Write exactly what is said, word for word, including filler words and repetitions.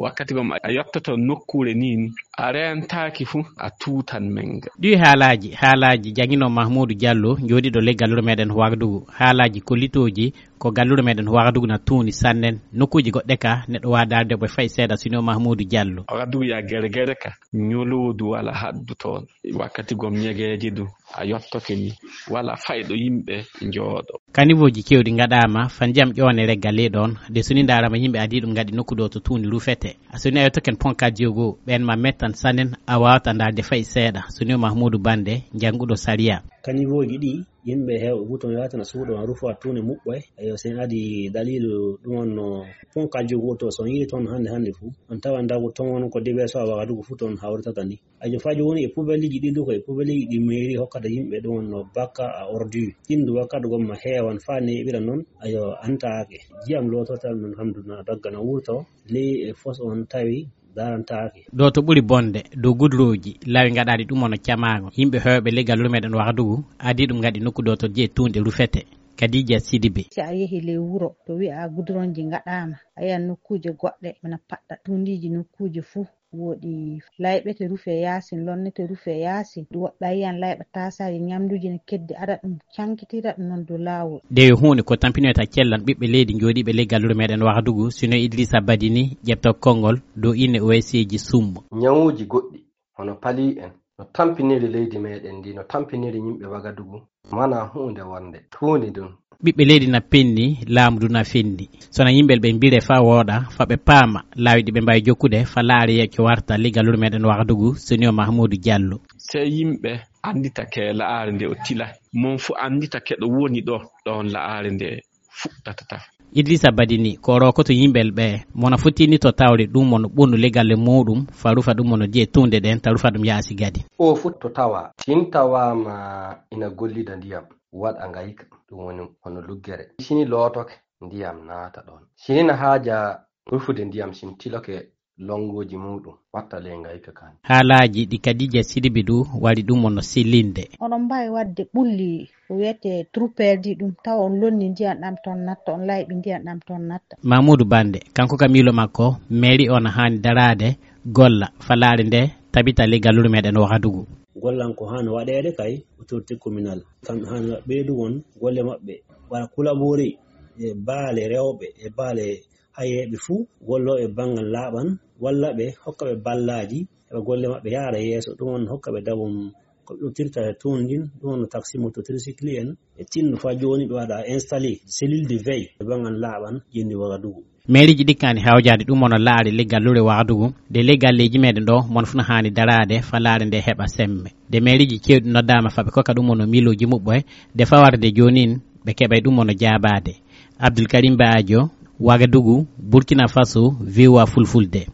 Wakkati gom a yottoto nokkuure nii ni, a reentaaki fu, a tuutan men ga. Ɗi haalaaji, haalaaji jannginoo Mahmuudu Jallo, jooɗiiɗo ley gallure meɗen Wagadugu. Haalaaji kollitooji ko gallure meɗen Wagadugu na tuuni sannen. Nokkuuji goɗɗe ka, neɗɗo waawi daarde ɓe fay seeɗa, sinoo Mahmuudu Jallo. Wagadugu ya gere gere ka, ñoloodu wala haddu toon. Wakkati gom ñegeeje du, a yottoke ni, wala fayɗo yimɓe njooɗo. Kanivooji kewɗi ngaɗaama, fa ndiyam ƴoone regga ley ɗoon, de so ni ndaarama yimɓe adii ɗum ngaɗi nokku ɗo to tuundi rufete. A so ni a yottoken ponkaaji goo, ɓeen ma mettan sannen, a waawata ndaarde fay seeɗa. So ni Mahmuudu Bande, jannguɗo sariya. Kanivooji ɗi, yimɓe heewɓe fof toon yahatana suuɗo ma rufa tuundi muɓɓoy. Eyo, so en adii daliilu ɗum on no ponkaaji goo to, so on yiɗi toon hannde hannde fof, on tawa ndagu toon ko déversoir Wagadugu fof toon hawritata ni. Ajo faaji woni e poubelleji ɗi du ko e poubelleji ɗi mairie hokkata yimɓe ɗum wonno bakka a ordure. Ɗin du wakkati gomma heewan faa neeɓira noon, ayo antaake. Jiyam loototal noon hamdu na dagga na wurto. Ley e fos on tawi darantaake. Ɗo to ɓuri bonde, dow gudurooji, laawi ngaɗaaɗi ɗum wonno camaango. Yimɓe heewɓe ley gallure meɗen Wagadugu, adii ɗum ngaɗi nokku ɗo to jeyi tuunde rufete. Kadija Sidibe. Si a yehi ley wuro, to wi'a guduronji ngaɗaama, a yi'an nokkuuje goɗɗe, ina paɗɗa tuundiiji nokkuuje fuu. Woodi layɓete rufe yaasin, lonnete rufe yaasin, woɗɗa yiyan layɓa taasaaji ñamduuji ne keddi, aɗa ɗum cankitira ɗum noon dow laawol. Nde yo huunde ko tampinoyta cellan ɓiɓɓe leydi jooɗiiɓe ley gallure meɗen Wagadugu, sino Idrissa Badini, ƴeɓta konngol dow inne O S C ji summo. Ñawuuji goɗɗi, hono pali en, no tampiniri leydi meɗen ndi, no tampiniri yimɓe Wagadugu, mana huunde wonde tuuni ɗum. Ɓiɓɓe leydi na penni, laamu du na fendi. Sona yimɓe ɓe mbire fa wooɗa, fa ɓe paama, laawi ɗi ɓe mbaawi jokkude, fa laare yecco warta, ley gallure meɗen Wagadugu, senior Mahmuudu Jallo. Sey yimɓe anndita ke la'aare nde o tila. Mon fu anndita ke ɗo woni ɗo, ɗon la'aare nde fuɗɗata tafa. Idrissa Badini, ko rokoto yimɓe ɓe, mona fotini to tawre ɗum mono ɓonnu ley galle muɗum, fa rufa ɗum mono diye tunde ɗen, ta rufa ɗum yaasi gadi. O fu to tawa, tin tawaama ina gollida ndiyam, waɗa ngayka, ɗum woni hono luggere. Sini lootoke, ndiyam naata ɗon. Sini na haaja rufude ndiyam, sin tiloke longooji muɗum, watta ley ngayka kan. Haalaaji ɗi Kadija Sidibi du wari ɗum mono sellinde. Oɗon mbaawi waɗde ɓulli ko wiyetee trou perdu ɗum, tawa on lonni ndiyam ɗam toon natta, on layɓi ndiyam ɗam toon natta. Mamoudou Bande, kanko ka miilo makko, mairie o na haani daraade, golla, fa laare nde tabita ley gallure meɗen Wagadugu. Gollan ko haani waɗeede kay autorité communale. Kamɓe haani ɓeydugol golle maɓɓe, wara collaborer e baale rewɓe, e baale hayeeɓe fuu, gollooɓe banngal laaɓan, walla ɓe hokka ɓe ballaaji, heɓa golle maɓɓe yaara yeeso. Ɗum on hokka ɓe dabum ko ɓe ƴettirta e toon ndin, ɗum on taxi moto tricycle en, e tinno faa jooni ɓe waɗa installé cellule de veille e banngal laaɓan, jenni Wagadugu. Mairieji ɗi kaani hawjaade ɗum on laare ley gallure Wagadugu, de ley galleeji meɗen ɗo, mon fuu na haani daraade faa laare nde heɓa semme. De mairieji keewɗi noddaama faa ɓe kokka ɗum on miilooji muɓɓoy, de faa warde joonin ɓe keɓay ɗum on jaabaade. Abdul Karim Baajo, Wagadugu, Burkina Faso, V O A Fulfulde.